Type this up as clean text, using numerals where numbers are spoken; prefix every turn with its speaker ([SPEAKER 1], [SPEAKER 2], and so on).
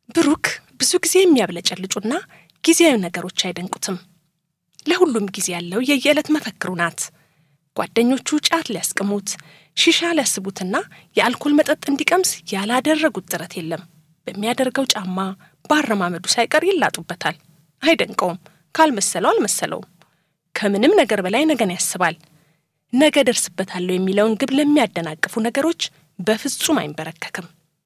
[SPEAKER 1] ብሩክ ብዙ ጊዜ የሚያብለጨልጩና ጊዜያዊ ነገሮች አይደንቁትም። ለሁሉም ጊዜ ያለው የየዕለት መፈክሩ ናት። ጓደኞቹ ጫት ሊያስቀሙት፣ ሺሻ ሊያስቡትና የአልኮል መጠጥ እንዲቀምስ ያላደረጉት ጥረት የለም። በሚያደርገው ጫማ ባረማመዱ ሳይቀር ይላጡበታል። አይደንቀውም። ካልመሰለው አልመሰለውም። ከምንም ነገር በላይ ነገን ያስባል። ነገ ደርስበታለሁ የሚለውን ግብ ለሚያደናቅፉ ነገሮች በፍጹም አይንበረከክም።